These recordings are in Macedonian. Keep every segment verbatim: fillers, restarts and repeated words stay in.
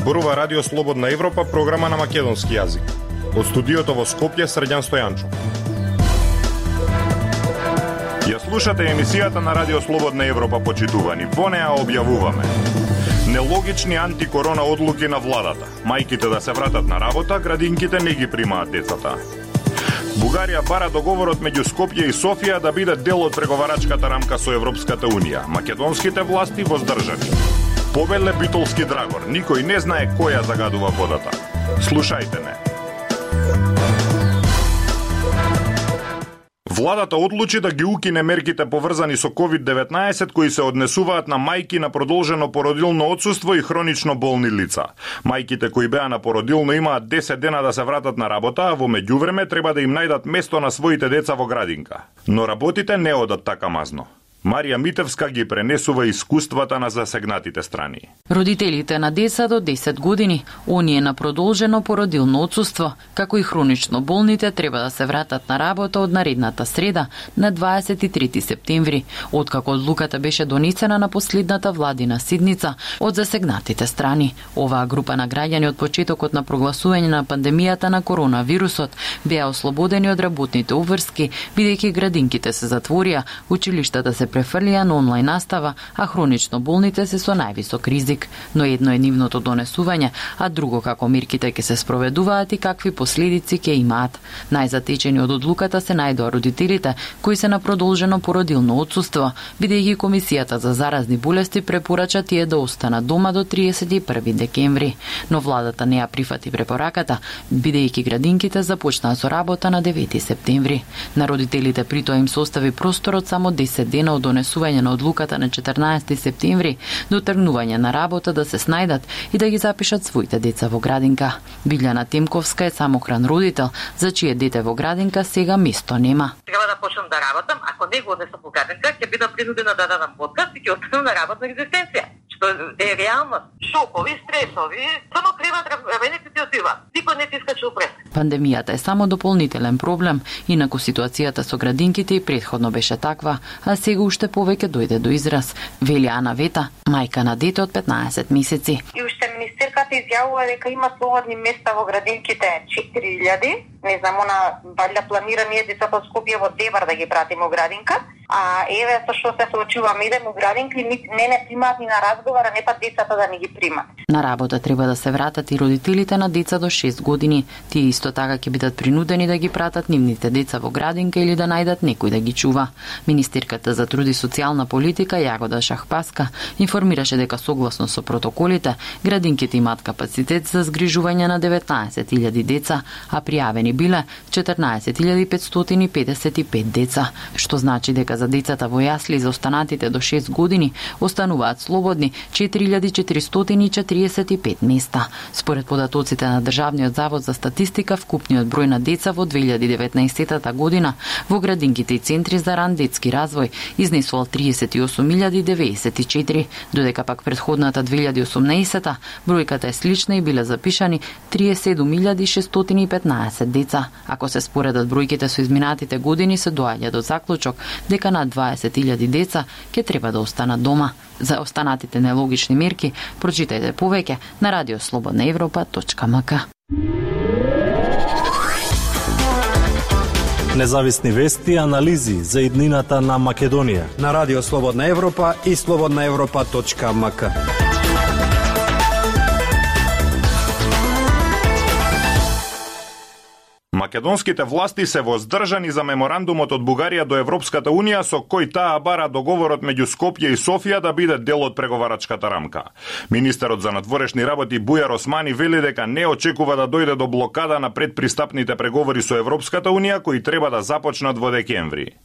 Зборува Радио Слободна Европа, програма на македонски јазик. Од студиото во Скопје, Срđan Стојанчов. Ја слушате емисијата на Радио Слободна Европа, почитувани. Во неа објавуваме нелогични антикорона одлуки на владата. Мајките да се вратат на работа, градинките не ги примаат децата. Бугарија бара договорот меѓу Скопје и Софија да биде дел од преговарачката рамка со Европската Унија. Македонските власти воздржани. Побеле битолски драгор. Никој не знае кој ја загадува водата. Слушајте не. Владата одлучи да ги укине мерките поврзани со ковид деветнаесет кои се однесуваат на мајки на продолжено породилно отсуство и хронично болни лица. Мајките кои беа на породилно имаат десет дена да се вратат на работа, а во меѓувреме треба да им најдат место на своите деца во градинка. Но работите не одат така мазно. Марија Митевска ги пренесува искуствата на засегнатите страни. Родителите на деца до десет години, оние на продолжено породилно отсуство, како и хронично болните, треба да се вратат на работа од наредната среда на дваесет и трети септември, откако одлуката беше донесена на последната владина седница од засегнатите страни. Оваа група на граѓани од почетокот на прогласување на пандемијата на коронавирусот беа ослободени од работните обврски, бидејќи градинките се затворија, училиштата се префрлија на онлайн настава, а хронично болните се со највисок ризик. Но едно е нивното донесување, а друго како мерките ќе се спроведуваат и какви последици ќе имаат. Најзатечени од одлуката се најдоа родителите кои се на продолжено породилно отсуство, бидејќи Комисијата за заразни болести препорача тие да останат дома до триесет и први декември. Но владата не ја прифати препораката, бидејќи градинките започнаа со работа на девети септември. На родителите при тоа им се остави просторот само десет дена од донесување на одлуката на четрнаесети септември до тргнување на работа да се снајдат и да ги запишат своите деца во градинка. Билјана Темковска е самохран родител, за чие дете во градинка сега место нема. Треба да почнам да работам, ако не го однесам во градинка, ќе бидам принудена да дадам отказ и ќе останам на работна екзистенција. Што е реално. Шокови, стресови, само треба да ти отива. Никој не ти искачи упред. Пандемијата е само дополнителен проблем, инаку ситуацијата со градинките и претходно беше таква, а сега уште повеќе дојде до израз, вели Ана Вета, мајка на дете од петнаесет месеци. И уште министерката изјавува дека има слободни места во градинките четири илјади. Не знам, она валја планира ние децата од Скопје во Девар да ги пратиме во градинка. А еве со што се соочуваме, идеме во градинка и не не примаат ни на разговор, а не па децата да ни ги примат. На работа треба да се вратат и родителите на деца до шест години. Тие исто така ќе бидат принудени да ги пратат нивните деца во градинка или да најдат некој да ги чува. Министерката за труд и социјална политика Јагода Шахпаска информираше дека согласно со протоколите, градинките имаат капацитет за згрижување на деветнаесет илјади деца, а пријавени биле четрнаесет илјади петстотини педесет и пет деца, што значи дека за децата во јасли за останатите до шест години остануваат слободни четири илјади четиристотини четиридесет и пет места. Според податоците на Државниот завод за статистика, вкупниот број на деца во две илјади и деветнаесетата година во градинките и центри за ран детски развој изнесувал тридесет и осум илјади деветдесет и четири, додека пак претходната две илјади и осумнаесета бројката е слична и биле запишани триесет и седум илјади шестстотини и петнаесет деца. Ако се споредат бројките со изминатите години, се доаѓа до заклучок дека над дваесет илјади деца ќе треба да останат дома. За останатите нелогични мерки прочитајте повеќе на радиослободна европа точка ем ка. Независни вести и анализи за иднината на Македонија на Радио Слободна Европа и слободна европа точка ем ка. Македонските власти се воздржани за меморандумот од Бугарија до Европската Унија со кој таа бара договорот меѓу Скопје и Софија да биде дел од преговарачката рамка. Министерот за надворешни работи Бујар Османи вели дека не очекува да дојде до блокада на предпристапните преговори со Европската Унија кои треба да започнат во декември.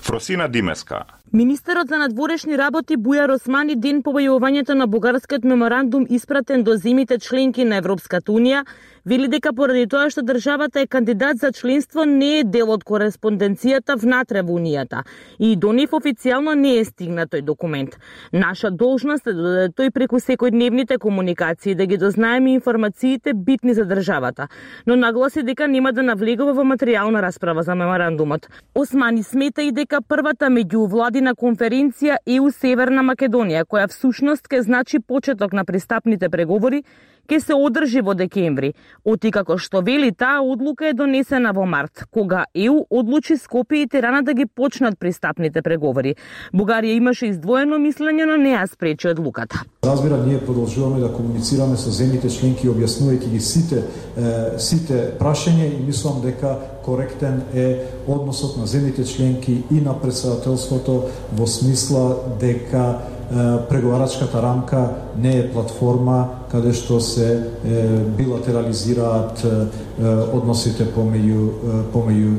Фросина Димеска. Министерот за надворешни работи Бујар Османи ден по објавувањето на бугарскиот меморандум испратен до земјите членки на Европската Унија вели дека поради тоа што државата е кандидат за членство не е дел од кореспонденцијата внатре во Унијата и до нив официјално не е стигнат тој документ. Наша должност е да дојде тој преку секојдневните комуникации да ги дознаеме информациите битни за државата, но нагласи дека нема да навлегува во материјална расправа за меморандумот. Османи смета и дека првата меѓувладина конференција е у Северна Македонија, која всушност ке значи почеток на пристапните преговори, ке се одржи во декември, оти како што вели таа одлука е донесена во март, кога Е У одлучи Скопје и Тирана да ги почнат пристапните преговори. Бугарија имаше издвоено мислење, но не ја спречи одлуката. Разбира, ние продолжуваме да комуницираме со земјите членки, објаснувајќи ги сите е, сите прашања и мислам дека коректен е односот на земјите членки и на претседателството во смисла дека преговарачката рамка не е платформа каде што се е, билатерализираат е, односите помеѓу помеѓу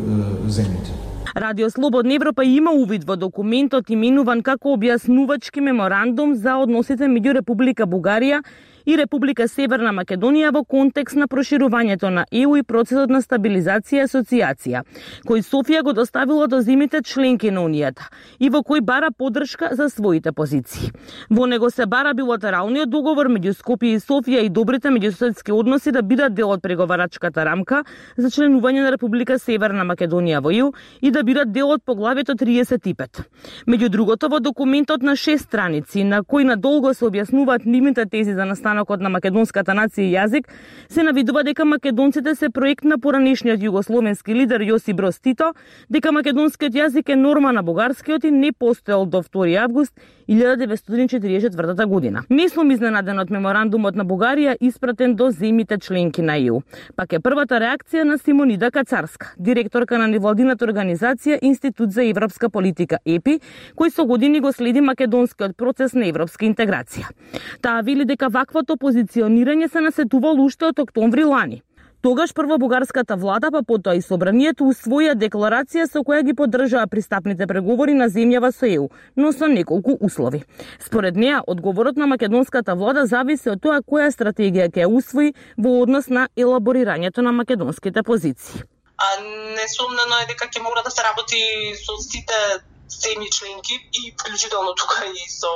земјите. Радио Слободна Европа има увид во документот именуван како објаснувачки меморандум за односите меѓу Република Бугарија и Република Северна Македонија во контекст на проширувањето на Е У и процесот на стабилизација и асоциација, кој Софија го доставила до земјите членки на Унијата и во кој бара поддршка за своите позиции. Во него се бара билатералниот договор меѓу Скопје и Софија и добрите меѓусоседски односи да бидат дел од преговарачката рамка за членување на Република Северна Македонија во Е У и да бидат дел од поглавието триесет и пет. Меѓу другото, во документот на шест страници, на кој надолго се објаснуваат нивните тези за настанокот на македонската нација и јазик, се навидува дека македонците се проект на поранешниот југословенски лидер Јосип Броз Тито, дека македонскиот јазик е норма на бугарскиот и не постоел до втори август илјада деветстотини и четиридесет и четвртата година. Не сум изненаден од меморандумот на Бугарија испратен до земјите членки на Е У. Пак е првата реакција на Симонида Кацарска, директорка на невладината организација Институт за европска политика Е Пи, кој со години го следи македонскиот процес на европска интеграција. Таа вели дека ваквото позиционирање се насетувало уште од октомври лани. Тогаш прво бугарската влада, па потоа и собранието усвоија декларација со која ги поддржаа пристапните преговори на земјава со Е У, но со неколку услови. Според неа, одговорот на македонската влада зависи од тоа која стратегија ќе усвои во однос на елаборирањето на македонските позиции. А несумнено е дека ќе мора да се работи со сите земји членки и вклучително тука и со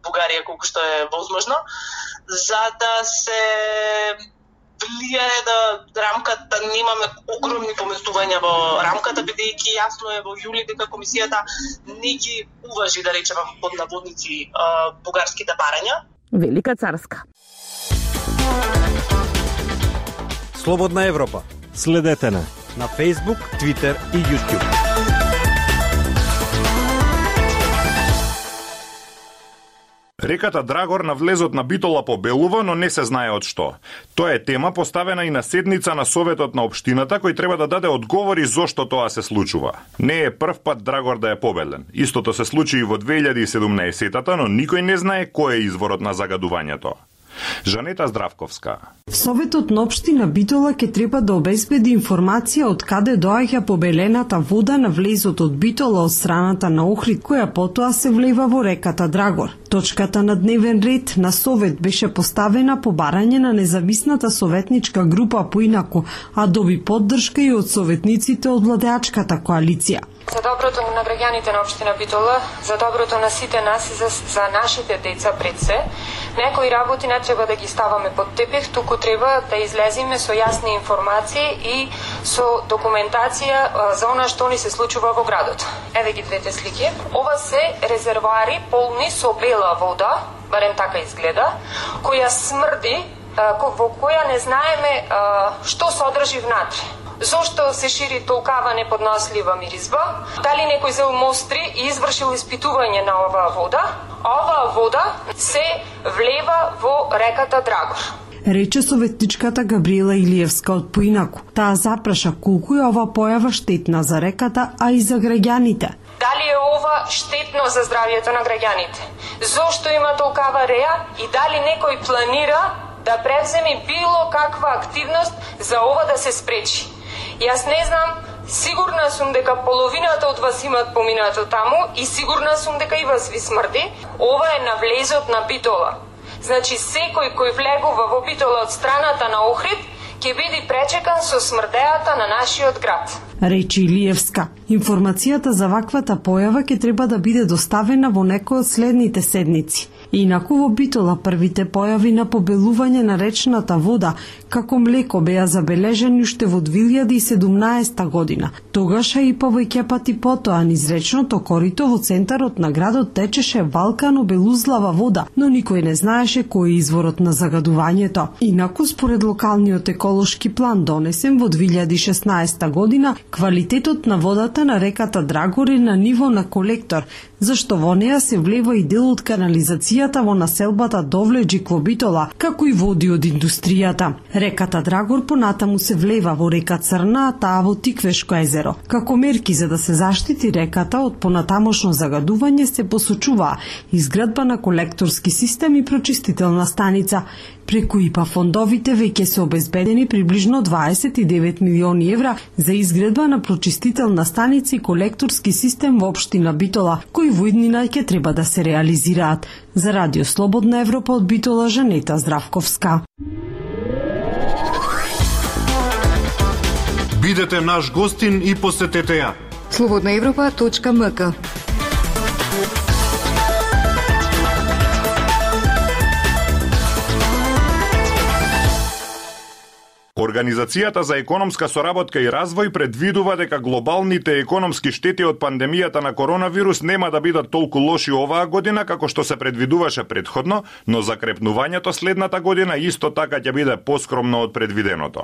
Бугарија колку што е возможно, за да се влијае да рамката, немаме огромни поместувања во рамката, бидејќи јасно е во јули дека комисијата не ги уважи, да речеме под наводници, бугарските барања. Велика Царска. Слободна Европа. Следете на на Facebook, Twitter и YouTube. Реката Драгор на влезот на Битола побелува, но не се знае од што. Тоа е тема поставена и на седница на Советот на општината, кој треба да даде одговори зошто тоа се случува. Не е прв пат Драгор да е побелен. Истото се случи и во две илјади и седумнаесетта, но никој не знае кој е изворот на загадувањето. Жанета Здравковска. Советот на општина Битола ќе треба да обезбеди информација од каде доаѓа побелената вода на влезот од Битола од страната на Охрид, која потоа се влева во реката Драгор. Точката на дневен ред на Совет беше поставена по барање на независната советничка група поинаку, а доби поддршка и од советниците од владеачката коалиција. За доброто на граѓаните на општина Битола, за доброто на сите нас и за, за нашите деца пред се, некои работи не треба да ги ставаме под тепих, туку треба да излезиме со јасни информации и со документација за она што ни се случува во градот. Еве ги двете слики. Ова се резервоари полни со бела вода, барем така изгледа, која смрди, во која не знаеме што содржи внатре. Зошто се шири толкава неподнослива миризба? Дали некој зел мостри и извршил испитување на оваа вода? Оваа вода се влева во реката Драгор. Рече советничката Габриела Илиевска од поинаку. Таа запраша колку е ова појава штетна за реката, а и за граѓаните. Дали е ова штетно за здравјето на граѓаните? Зошто има толкава реа и дали некој планира да превземе било каква активност за ова да се спречи? Јас не знам, сигурна сум дека половината од вас имат поминато таму и сигурна сум дека и вас ви смрди. Ова е на влезот на Битола. Значи, секој кој влегува во Битола од страната на Охрид ќе биде пречекан со смрдејата на нашиот град. речи Илиевска. Информацијата за ваквата појава ќе треба да биде доставена во некој од следните седници. Инаку во Битола првите појави на побелување на речната вода како млеко беа забележани уште во две илјади и седумнаесета година. Тогаш и повеќе пати потоа низ речното корито во центарот на градот течеше валкано белузлава вода, но никој не знаеше кој е изворот на загадувањето. Инаку според локалниот еколошки план донесен во две илјади и шеснаесета година, квалитетот на водата на реката Драгор е на ниво на колектор, зашто во неа се влева и дел од канализацијата во населбата Довлеџик во Битола, како и води од индустријата. Реката Драгор понатаму се влева во река Црна, а таа во Тиквешко езеро. Како мерки за да се заштити реката од понатамошно загадување се посочува изградба на колекторски систем и прочистителна станица. Преку ИПА фондовите веќе се обезбедени приближно дваесет и девет милиони евра за изградба на прочистителна станица и колекторски систем во општина Битола, кои во иднина ќе треба да се реализираат. За Радио Слободна Европа од Битола, Жанета Здравковска. Бидете наш гостин и посетете ја. слободна европа точка ем ка. Организацијата за економска соработка и развој предвидува дека глобалните економски штети од пандемијата на коронавирус нема да бидат толку лоши оваа година како што се предвидуваше предходно, но закрепнувањето следната година исто така ќе биде поскромно од предвиденото.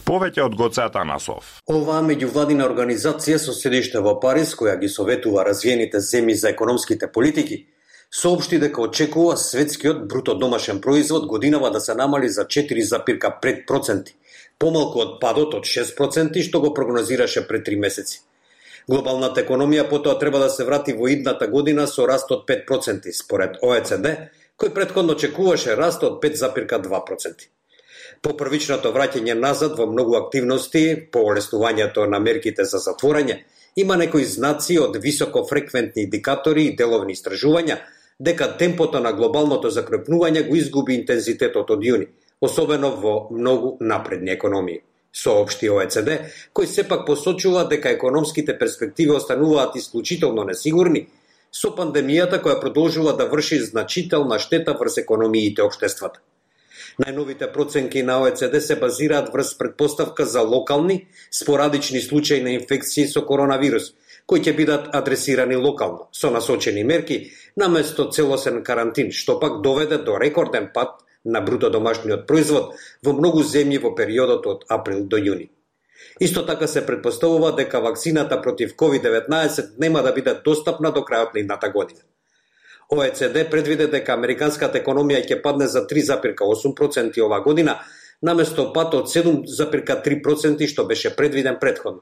Повеќе од Гоце Атанасов. Оваа меѓувладина организација со седиште во Париз, која ги советува развиените земји за економските политики, соопшти дека очекува светскиот бруто домашен производ годинава да се намали за четири запирка пет проценти, помалку од падот од шест проценти што го прогнозираше пред три месеци. Глобалната економија потоа треба да се врати во идната година со раст од пет проценти, според О Е Це Де, кој претходно очекуваше раст од пет запирка два проценти. По првичното враќање назад во многу активности, по олеснувањето на мерките за затворање, има некои знаци од високофреквентни индикатори и деловни истражувања дека темпото на глобалното закрепнување го изгуби интензитетот од јуни, особено во многу напредни економии. Соопшти О Е Це Де, кој сепак посочува дека економските перспективи остануваат исклучително несигурни, со пандемијата која продолжува да врши значителна штета врз економиите и општествата. Најновите проценки на О Е Це Де се базираат врз предпоставка за локални, спорадични случаи на инфекции со коронавирус, кои ќе бидат адресирани локално, со насочени мерки, наместо целосен карантин, што пак доведе до рекорден пад на бруто домашниот производ во многу земји во периодот од април до јуни. Исто така се предпоставува дека вакцината против ковид деветнаесет нема да биде достапна до крајот на идната година. О Е Це Де предвиде дека американската економија ќе падне за три запирка осум проценти оваа година, наместо пад од седум запирка три проценти што беше предвиден претходно.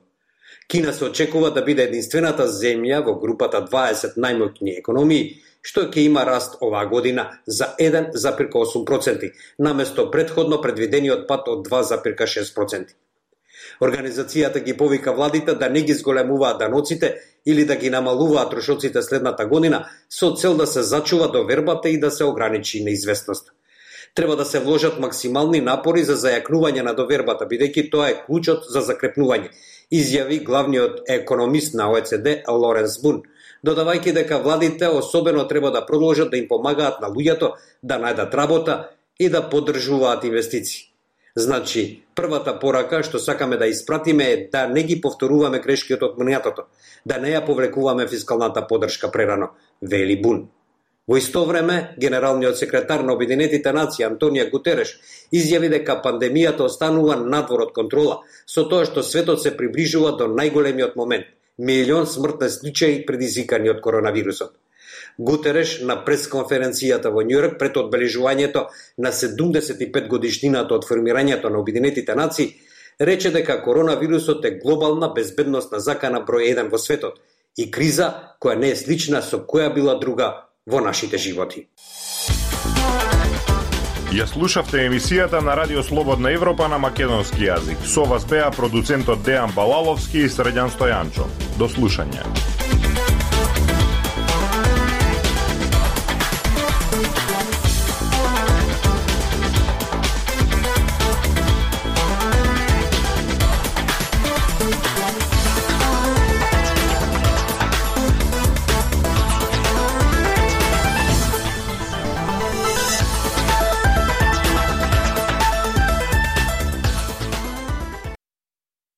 Кина се очекува да биде единствената земја во групата дваесет најмоќни економии што ќе има раст оваа година за еден запирка осум проценти, наместо претходно предвидениот пад од два запирка шест проценти. Организацијата ги повика владите да не ги зголемуваат даноците или да ги намалуваат трошоците следната година со цел да се зачува довербата и да се ограничи неизвестноста. Треба да се вложат максимални напори за зајакнување на довербата, бидејќи тоа е клучот за закрепнување, изјави главниот економист на О Е Це Де Лоренс Бун, додавајќи дека владите особено треба да продолжат да им помагаат на луѓето да најдат работа и да поддржуваат инвестиции. Значи, првата порака што сакаме да испратиме е да не ги повторуваме грешките од минатото, да не ја повлекуваме фискалната поддршка прерано, вели Бун. Во исто време, генералниот секретар на Обединетите нации Антонио Гутереш изјави дека пандемијата останува надвор од контрола, со тоа што светот се приближува до најголемиот момент – милион смртни случаи предизвикани од коронавирусот. Гутереш на пресконференцијата во Њујорк пред одбележувањето на седумдесет и пет годишнината од формирањето на Обединетите нации рече дека коронавирусот е глобална безбедносна закана број еден во светот и криза која не е слична со која била друга во нашите животи. Ја слушавте емисијата на Радио Слободна Европа на македонски јазик. Со вас беа продуцентот Дејан Балаловски и Средјан Стојанчо. До слушање.